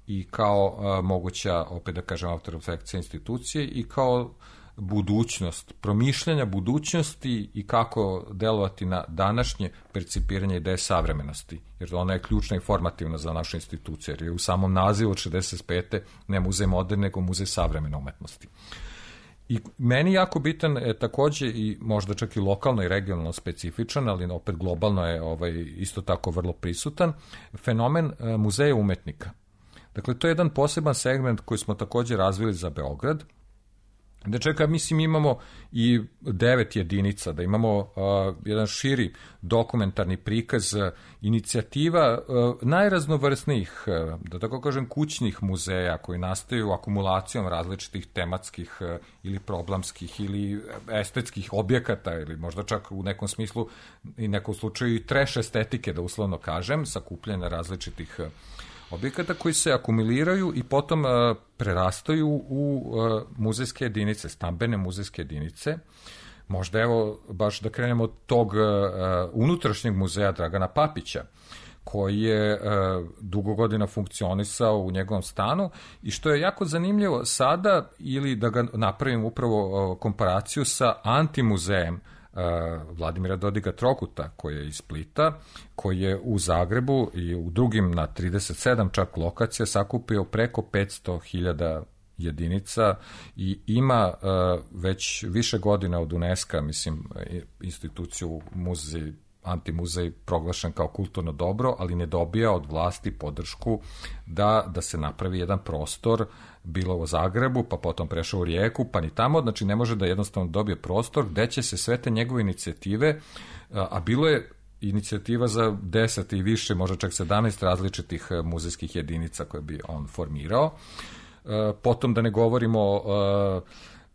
i kao moguća, opet da kažem, autorefleksija institucije i kao budućnost, promišljanja budućnosti i kako delovati na današnje percipiranje ideje savremenosti, jer ona je ključna i formativna za našu instituciju, jer je u samom nazivu od 65. ne muzej moderne, nego muzej savremene umetnosti. I meni jako bitan je takođe i možda čak i lokalno i regionalno specifičan, ali opet globalno je isto tako vrlo prisutan, fenomen muzeja umetnika. Dakle, to je jedan poseban segment koji smo takođe razvili za Beograd, da čeka, mislim, imamo i 9 jedinica, da imamo jedan širi dokumentarni prikaz inicijativa najraznovrsnijih, da tako kažem, kućnih muzeja koji nastaju akumulacijom različitih tematskih ili problemskih ili estetskih objekata ili možda čak u nekom smislu i nekom slučaju i trash estetike, da uslovno kažem, sakupljene različitih objekata koji se akumuliraju i potom prerastaju u muzejske jedinice, stambene muzejske jedinice. Možda evo baš da krenemo od tog unutrašnjeg muzeja Dragana Papića, koji je dugo godina funkcionisao u njegovom stanu i što je jako zanimljivo sada, ili da ga napravim upravo komparaciju sa antimuzejem Vladimira Dodiga Trokuta, koji je iz Splita, koji je u Zagrebu i u drugim na 37 čak lokacija sakupio preko 500.000 jedinica i ima već više godina od UNESCO, mislim, instituciju muzej, antimuzej proglašen kao kulturno dobro, ali ne dobija od vlasti podršku da se napravi jedan prostor, bilo u Zagrebu, pa potom prešao u Rijeku, pa ni tamo, znači ne može da jednostavno dobije prostor gde će se sve te njegove inicijative, a bilo je inicijativa za 10 i više, možda čak 17 različitih muzejskih jedinica koje bi on formirao. Potom da ne govorimo o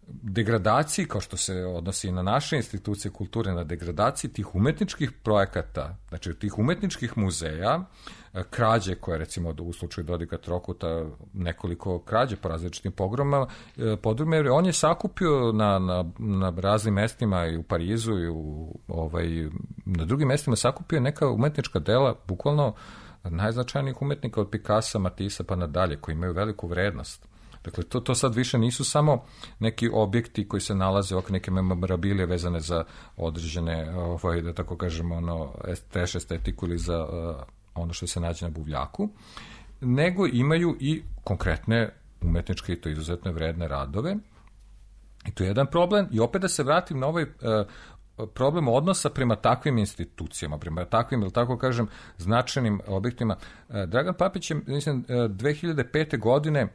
degradaciji, kao što se odnosi na naše institucije kulture, na degradaciji tih umetničkih projekata, znači tih umetničkih muzeja, krađe koje, recimo, u slučaju Dodiga Trokuta, nekoliko krađe po različitim podrumima, jer on je sakupio na raznim mestima i u Parizu i na drugim mestima sakupio neka umetnička dela, bukvalno najznačajnijih umetnika od Picassa, Matissa pa nadalje, koji imaju veliku vrednost. Dakle, to sad više nisu samo neki objekti koji se nalaze oko neke memorabilije vezane za određene, da tako kažemo, trash estetiku ili za ono što se nađe na buvljaku, nego imaju i konkretne umetničke i to izuzetno vredne radove. I to je jedan problem. I opet da se vratim na ovaj problem odnosa prema takvim institucijama, prema takvim, ili tako kažem, značajnim objektima. Dragan Papić je, mislim, 2005. godine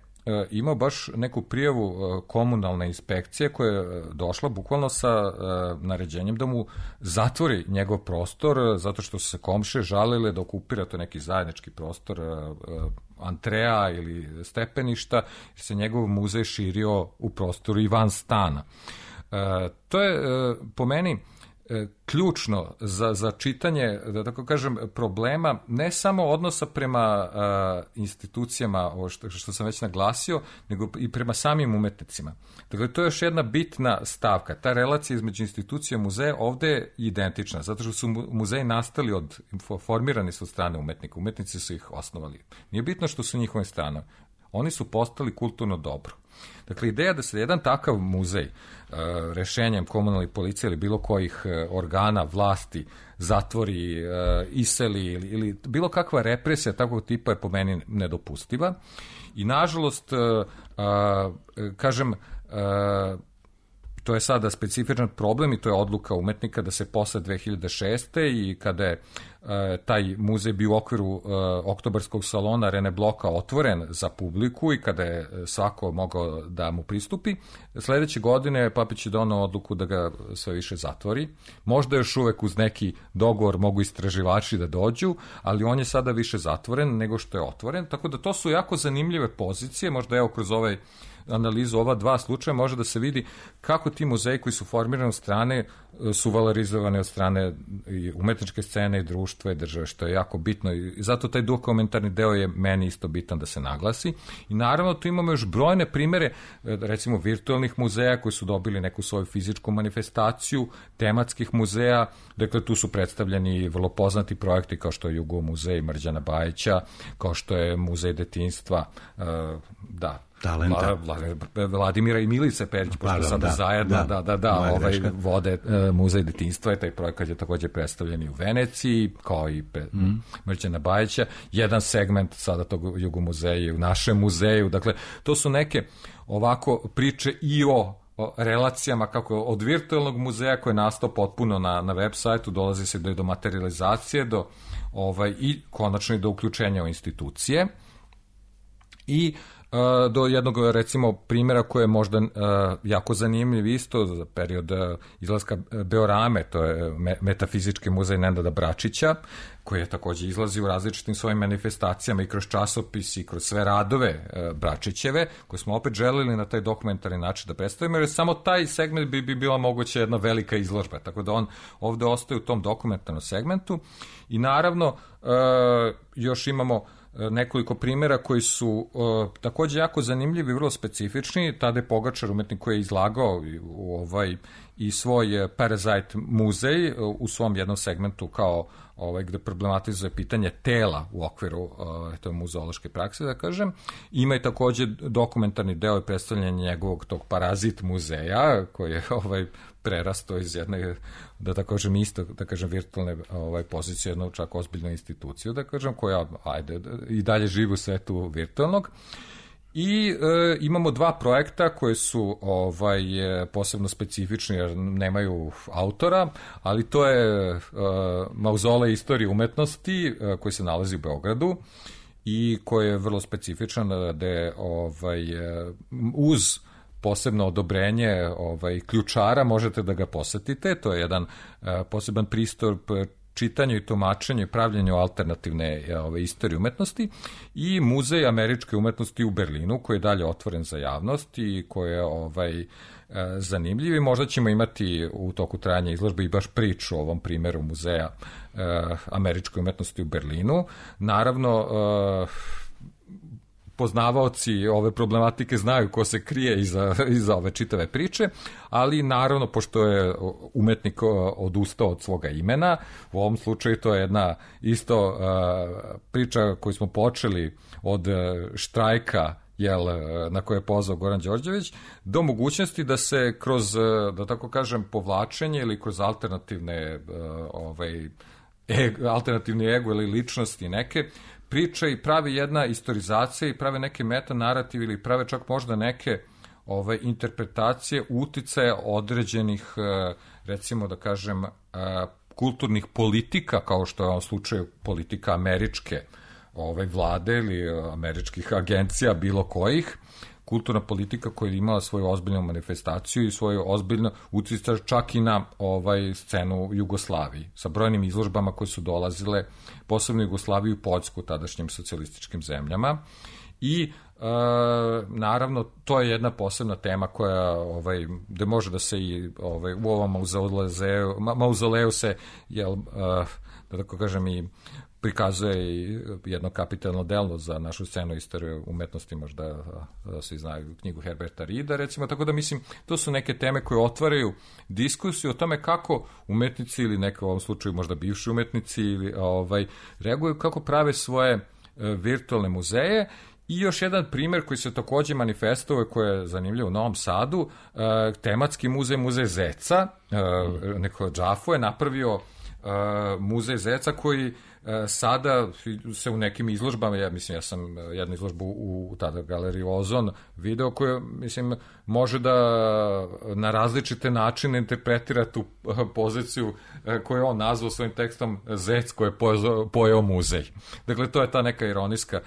imao baš neku prijavu komunalne inspekcije koja je došla bukvalno sa naređenjem da mu zatvori njegov prostor, zato što su se komšije žalile da okupira to neki zajednički prostor antrea ili stepeništa, jer se njegov muzej širio u prostoru i van stana. To je po meni ključno za čitanje, da tako kažem, problema ne samo odnosa prema institucijama, što sam već naglasio, nego i prema samim umetnicima. Dakle, to je još jedna bitna stavka. Ta relacija između institucija i muzeja ovde je identična, zato što su muzeji nastali formirani su od strane umetnika. Umetnici su ih osnovali. Nije bitno što su njihove strane. Oni su postali kulturno dobro. Dakle, ideja da se jedan takav muzej rešenjem komunalne policije ili bilo kojih organa vlasti zatvori, iseli ili bilo kakva represija takvog tipa je po meni nedopustiva. I nažalost, kažem, to je sada specifičan problem i to je odluka umetnika da se posle 2006. i kada je taj muzej bio u okviru oktobarskog salona Rene Bloka otvoren za publiku i kada je svako mogao da mu pristupi, sledeće godine Papić je donao odluku da ga sve više zatvori. Možda još uvek uz neki dogovor mogu istraživači da dođu, ali on je sada više zatvoren nego što je otvoren, tako da to su jako zanimljive pozicije, možda evo kroz analizu ova dva slučaja može da se vidi kako ti muzeji koji su formirani od strane su valorizovani od strane umetničke scene i društva i države, što je jako bitno i zato taj dokumentarni deo je meni isto bitan da se naglasi. I naravno tu imamo još brojne primere, recimo virtualnih muzeja koji su dobili neku svoju fizičku manifestaciju, tematskih muzeja, dakle tu su predstavljeni vrlo poznati projekti kao što je Jugo muzej Mrđana Bajića, kao što je muzej detinjstva, talenta. Vladimira i Milice Perić, pošto sada zajedno vode muzej detinjstva i taj projekat je takođe predstavljen i u Veneciji, kao i Mrđana Bajića. Jedan segment sada tog Jugo muzeja u našem muzeju. Dakle, to su neke ovako priče i o relacijama kako od virtualnog muzeja koji je nastao potpuno na web sajtu, dolazi se do materializacije, i konačno i do uključenja u institucije. I do jednog, recimo, primjera koji je možda jako zanimljiv isto za period izlaska Beorame, to je Metafizički muzej Nenada Bračića, koji je takođe izlazi u različitim svojim manifestacijama i kroz časopis i kroz sve radove Bračićeve, koje smo opet želeli na taj dokumentarni način da predstavimo, jer samo taj segment bi bila moguća jedna velika izložba, tako da on ovde ostaje u tom dokumentarnom segmentu. I naravno, još imamo nekoliko primjera koji su takođe jako zanimljivi i vrlo specifični. Tadej Pogačar, umetnik koji je izlagao i svoj Parasite muzej u svom jednom segmentu kao gde problematizuje pitanje tela u okviru to je muzeološke prakse, da kažem. Ima i takođe dokumentarni deo i predstavljanje njegovog tog Parazit muzeja, koji je prerasto iz jedne, da tako kažem, isto, da kažem, virtualne pozicije, jednu čak ozbiljnu instituciju, da kažem, koja, i dalje živi u svetu virtualnog. I imamo dva projekta koje su posebno specifični jer nemaju autora, ali to je Mauzolej istorije umetnosti koji se nalazi u Beogradu i koji je vrlo specifičan, gde uz posebno odobrenje ključara možete da ga posetite. To je jedan poseban pristup čitanju i tumačenju i pravljenju alternativne istorije umetnosti i Muzej američke umetnosti u Berlinu, koji je dalje otvoren za javnost i koji je zanimljiv i možda ćemo imati u toku trajanja izložbe i baš priču o ovom primjeru Muzeja američke umetnosti u Berlinu. Naravno, poznavaoci ove problematike znaju ko se krije iza ove čitave priče, ali naravno, pošto je umetnik odustao od svoga imena, u ovom slučaju to je jedna isto priča koju smo počeli od štrajka na koje je pozvao Goran Đorđević, do mogućnosti da se kroz, da tako kažem, povlačenje ili kroz alternativne alternativni ego ili ličnosti neke, priča i pravi jedna istorizacija i prave neke metanarativ ili prave čak možda neke interpretacije uticaja određenih, recimo da kažem, kulturnih politika, kao što je u ovom slučaju politika američke vlade ili američkih agencija bilo kojih, kulturna politika koja je imala svoju ozbiljnu manifestaciju i svoju ozbiljnu uticaj čak i na scenu Jugoslaviji, sa brojnim izložbama koje su dolazile, posebno Jugoslaviju i Poljsku, tadašnjim socijalističkim zemljama. I naravno to je jedna posebna tema koja gde može da se i u ovom mauzoleju se da tako kažem i prikazuje i jedno kapitalno delo za našu scenu istorije umetnosti, možda svi znaju knjigu Herberta Rida, recimo, tako da mislim, to su neke teme koje otvaraju diskusiju o tome kako umetnici ili neke u ovom slučaju možda bivši umetnici ili reaguju, kako prave svoje virtualne muzeje. I još jedan primer koji se takođe manifestovao, koji je zanimljiv u Novom Sadu, tematski muzej Zeca, neko Džafo je napravio muzej Zeca koji sada se u nekim izložbama, ja sam jednu izložbu u tada galeriji Ozon video koja, mislim, može da na različite načine interpretira tu poziciju koju je on nazvao svojim tekstom Zec koji je pojeo muzej. Dakle, to je ta neka ironijska,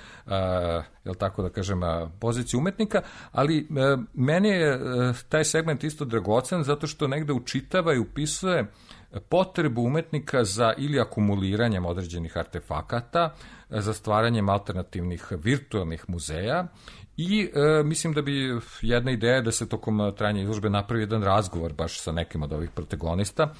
jel tako da kažem, pozicija umetnika, ali meni je taj segment isto dragocen zato što negde učitava i upisuje potrebu umetnika za ili akumuliranjem određenih artefakata, za stvaranjem alternativnih virtualnih muzeja i mislim da bi jedna ideja da se tokom trajanja izložbe napravi jedan razgovor baš sa nekim od ovih protagonista,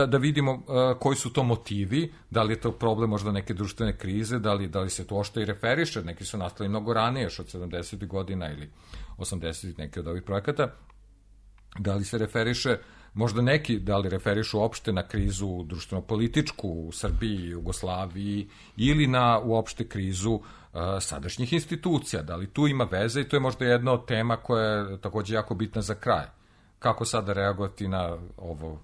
da vidimo koji su to motivi, da li je to problem možda neke društvene krize, da li se to ošto i referiše, neki su nastali mnogo ranije, još od 70. godina ili 80. neki od ovih projekata, da li se referiše možda neki, da li referišu uopšte na krizu društveno-političku u Srbiji, Jugoslaviji ili na uopšte krizu sadašnjih institucija. Da li tu ima veze i to je možda jedna od tema koja je takođe jako bitna za kraj. Kako sada reagovati na ovo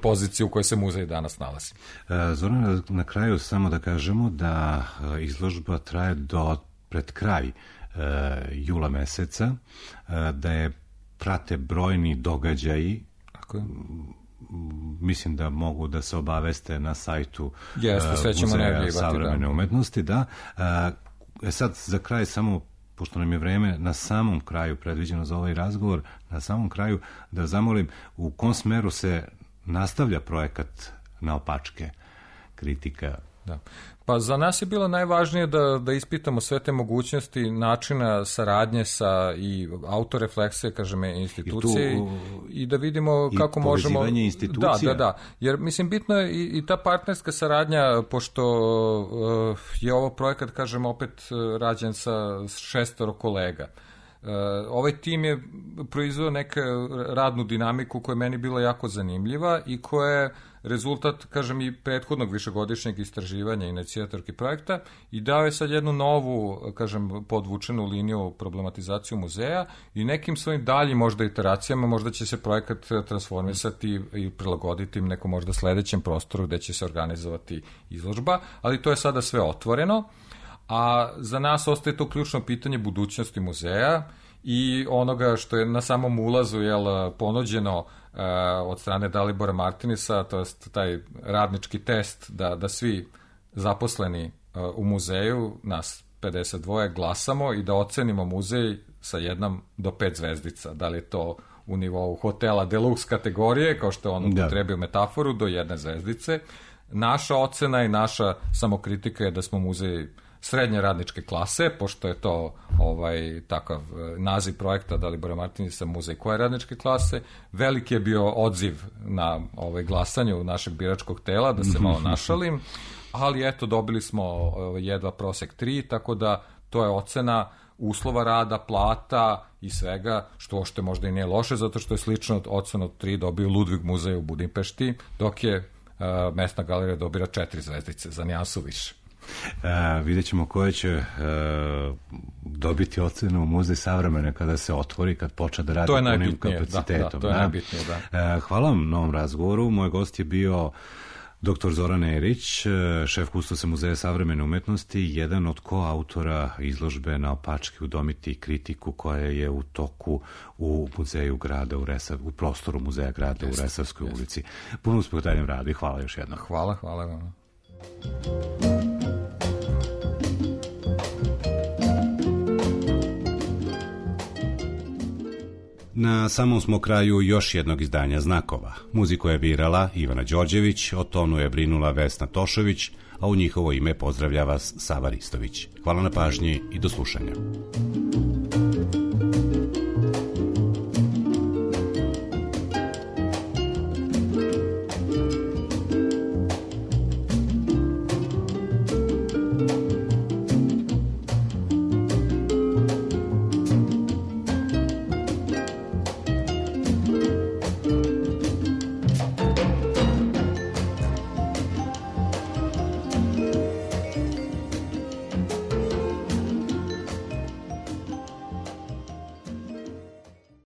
poziciju u kojoj se muzej danas nalazi? Zoran, na kraju samo da kažemo da izložba traje do pred kraj jula meseca, da je prate brojni događaji. Mislim da mogu da se obaveste na sajtu Muzeja savremene umetnosti. Da. Sad za kraj samo, pošto nam je vreme na samom kraju predviđeno za ovaj razgovor, na samom kraju da zamolim u kom smeru se nastavlja projekat Naopačke, kritika. Da. Pa za nas je bilo najvažnije da ispitamo sve te mogućnosti načina saradnje sa i autorefleksije, kažem, institucije i da vidimo kako možemo... I povezivanje institucija. Da. Jer, mislim, bitno je i ta partnerska saradnja, pošto je ovo projekat, kažem, opet rađen sa 6 kolega. Ovaj tim je proizveo neku radnu dinamiku koja je meni bila jako zanimljiva i koja je rezultat, kažem, i prethodnog višegodišnjeg istraživanja inicijatorki projekta i dao je sad jednu novu, kažem, podvučenu liniju problematizaciju muzeja i nekim svojim daljim možda iteracijama možda će se projekat transformisati i prilagoditi nekom možda sledećem prostoru gde će se organizovati izložba, ali to je sada sve otvoreno. A za nas ostaje to ključno pitanje budućnosti muzeja i onoga što je na samom ulazu ponuđeno od strane Dalibora Martinisa, to je taj radnički test da svi zaposleni u muzeju, nas 52, glasamo i da ocenimo muzej sa 1 do 5 zvezdica. Da li je to u nivou hotela deluxe kategorije, kao što je on upotrebio metaforu, do 1 zvezdice. Naša ocena i naša samokritika je da smo muzej srednje radničke klase, pošto je to takav naziv projekta Dalibora Martinisa, muzej koje radničke klase. Veliki je bio odziv na glasanju našeg biračkog tela, da se malo našalim, ali eto, dobili smo jedva prosek 3, tako da to je ocena uslova rada, plata i svega, što možda i nije loše, zato što je slično ocenu 3 dobio Ludvig muzej u Budimpešti, dok je mesna galerija dobira 4 zvezdice, za nijansu više. Vidjet ćemo koje će dobiti ocenu Muzej savremene kada se otvori, kad počne da radi punim kapacitetom. To je najbitnije, da. Hvala vam na ovom razgovoru. Moj gost je bio dr. Zoran Erić, šef kustosa Muzeja savremene umetnosti, jedan od koautora izložbe Naopačke, udomiti kritiku koja je u toku u muzeju grada u prostoru Muzeja grada u Resavskoj ulici. Puno uspeh u daljem radu i hvala još jednom. Hvala vam. Na samom smo kraju još jednog izdanja Znakova. Muziku je birala Ivana Đorđević, o tonu je brinula Vesna Tošović, a u njihovo ime pozdravlja vas Sava Ristović. Hvala na pažnji i do slušanja.